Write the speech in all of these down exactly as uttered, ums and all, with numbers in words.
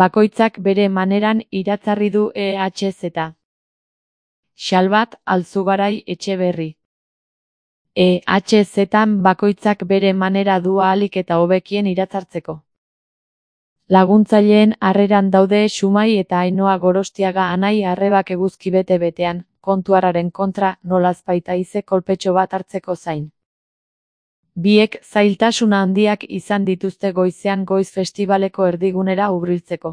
Bakoitzak bere maneran iratzarri du E H Z. Xalbat Alzugarai Etxeberri. E H Z-an bakoitzak bere manera du ahalik eta hobekien iratzartzeko. Laguntzaileen harreran daude Xumai eta Ainoa Gorostiaga Anai Arrebak eguzki bete-betean, kontuarraren kontra, nolazbait haize kolpetxo bat hartzeko zain. Biek zailtasuna handiak izan dituzte goizean goiz festibaleko erdigunera hurbiltzeko.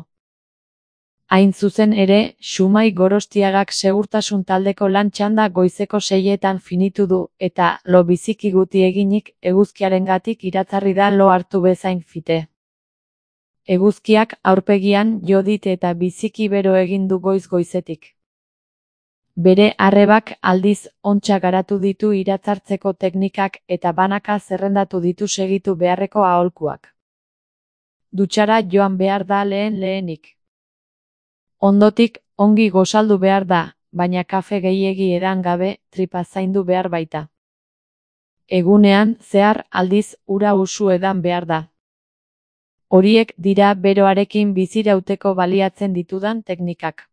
Hain zuzen ere, Xumai Gorostiagak segurtasun taldeko lan txanda goizeko seietan finitu du, eta, lo biziki guti eginik, eguzkiarengatik iratzarri da lo hartu bezain fite. Eguzkiak aurpegian jo dit eta biziki bero egin du goiz goizetik. Bere arrebak aldiz ontsa garatu ditu iratzartzeko teknikak eta banaka zerrendatu ditu segitu beharreko aholkuak. Dutxara joan behar da lehen lehenik. Ondotik, ongi gozaldu behar da, baina kafe gehiegi edan gabe, tripa zaindu behar baita. Egunean, zehar, aldiz, ura usu edan behar da. Horiek dira beroarekin bizirauteko baliatzen ditudan teknikak.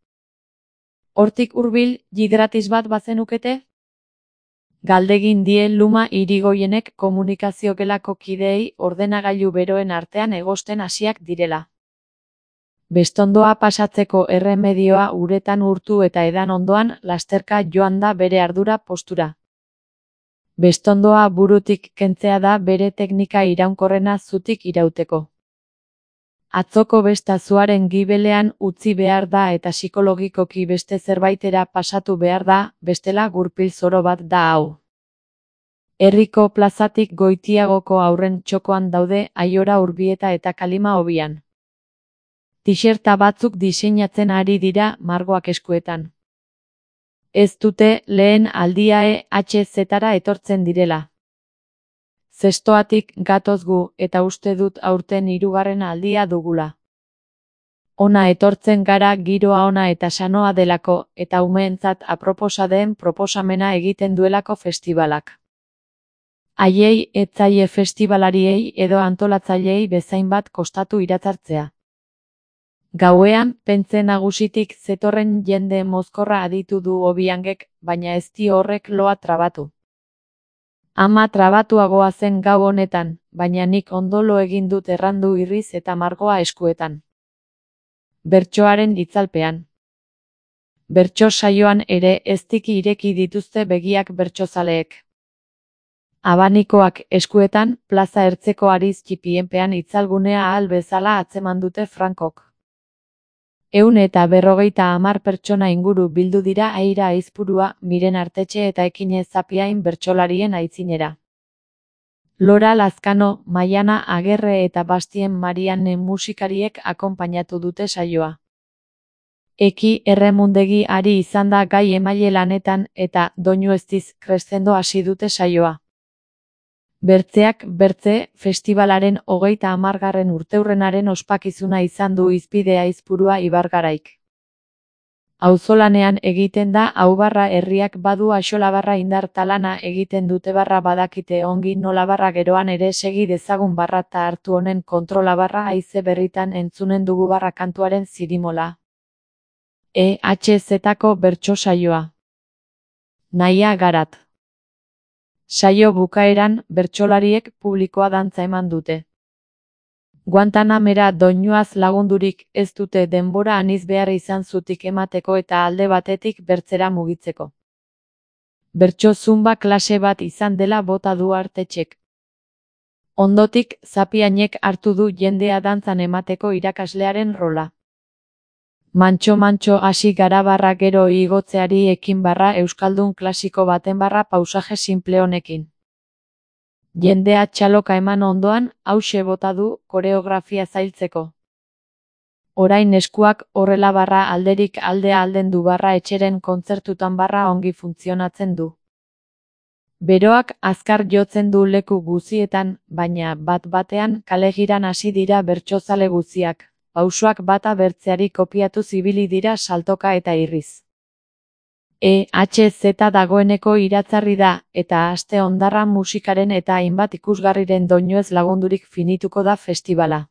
Hortik hurbil, hidratis bat bazenukete? Galdegin die Luma Irigoienek komunikazio gelako kideei ordenagailu beroen artean egosten hasiak direla. Bestondoa pasatzeko erremedioa uretan urtu eta edan ondoan lasterka joan da bere ardura postura. Bestondoa burutik kentzea da bere teknika iraunkorrena zutik irauteko. Atzoko besta zuaren gibelean utzi behar da eta psikologikoki beste zerbaitera pasatu behar da, bestela gurpil zoro bat da hau. Herriko plazatik Goitiagoko aurren txokoan daude Aiora Urbieta eta Kalima Hobian. Tixerta batzuk diseinatzen ari dira margoak eskuetan. Ez dute lehen aldia E H Z-ra etortzen direla. Zestoatik gatoz gu eta uste dut aurten hirugarren aldia dugula. Ona etortzen gara giroa ona eta sanoa delako eta umeentzat aproposa den proposamena egiten duelako festibalak. Haiei etzaie festibalariei edo antolatzaileei bezain bat kostatu iratzartzea. Gauean, pentze nagusitik zetorren jende mozkorra aditu du Obiangek, baina ez dio horrek loa trabatu. Ama trabatuagoa zen gau honetan, baina nik ondolo egin dut errandu irriz eta margoa eskuetan. Bertsoaren itzalpean. Bertso saioan ere eztiki ireki dituzte begiak bertsozaleek. Abanikoak eskuetan, plaza ertzeko ariz txipienpean itzalgunea ahal bezala atzeman dute Frankok. Ehun eta berrogeita hamar pertsona inguru bildu dira Aira Aizpurua, Miren Artetxe eta Ekine Zapiain bertsolarien aitzinera. Lora Lazkano, Maiana Agerre eta Bastien Marianne musikariek akonpainatu dute saioa. Eki Erremundegi ari izan da gai emaile lanetan eta doinu eztiz kreszendo hasi dute saioa. Bertzeak bertze, festibalaren hogeita hamargarren urteurrenaren ospakizuna izan du hizpide Aizpurua Ibargaraik. Auzolanean egiten da Aubarra herriak badu axolabarra indar talana egiten dute barra badakite ongi nola barra geroan ere segi dezagun barra ta hartu honen kontrola barra haize berritan entzunen dugu barra kantuaren zirimola. E H Z-ko bertso saioa. Nahia Garat. Saio bukaeran, bertsolariek publikoa dantza eman dute. Guantanamera doinuaz lagundurik ez dute denbora aniz behar izan zutik emateko eta alde batetik bertzera mugitzeko. Bertso zumba klase bat izan dela bota du Artetxek. Ondotik, Zapiainek hartu du jendea dantzan emateko irakaslearen rola. Mantxo-mantxo hasi gara barra gero igotzeari ekin barra euskaldun klasiko baten barra pausaje simple honekin. Jendea txaloka eman ondoan, hauxe bota du koreografia zailtzeko. Orain eskuak horrela barra alderik aldea alden du barra etxeren kontzertutan barra ongi funtzionatzen du. Beroak azkar jotzen du leku guzietan, baina bat batean kalegiran hasi dira bertsozale guziak. Pausoak bata bertzeari kopiatu zibili dira saltoka eta irriz. E H Z dagoeneko iratzarri da, eta aste hondarra musikaren eta hainbat ikusgarriren doinuez lagundurik finituko da festivala.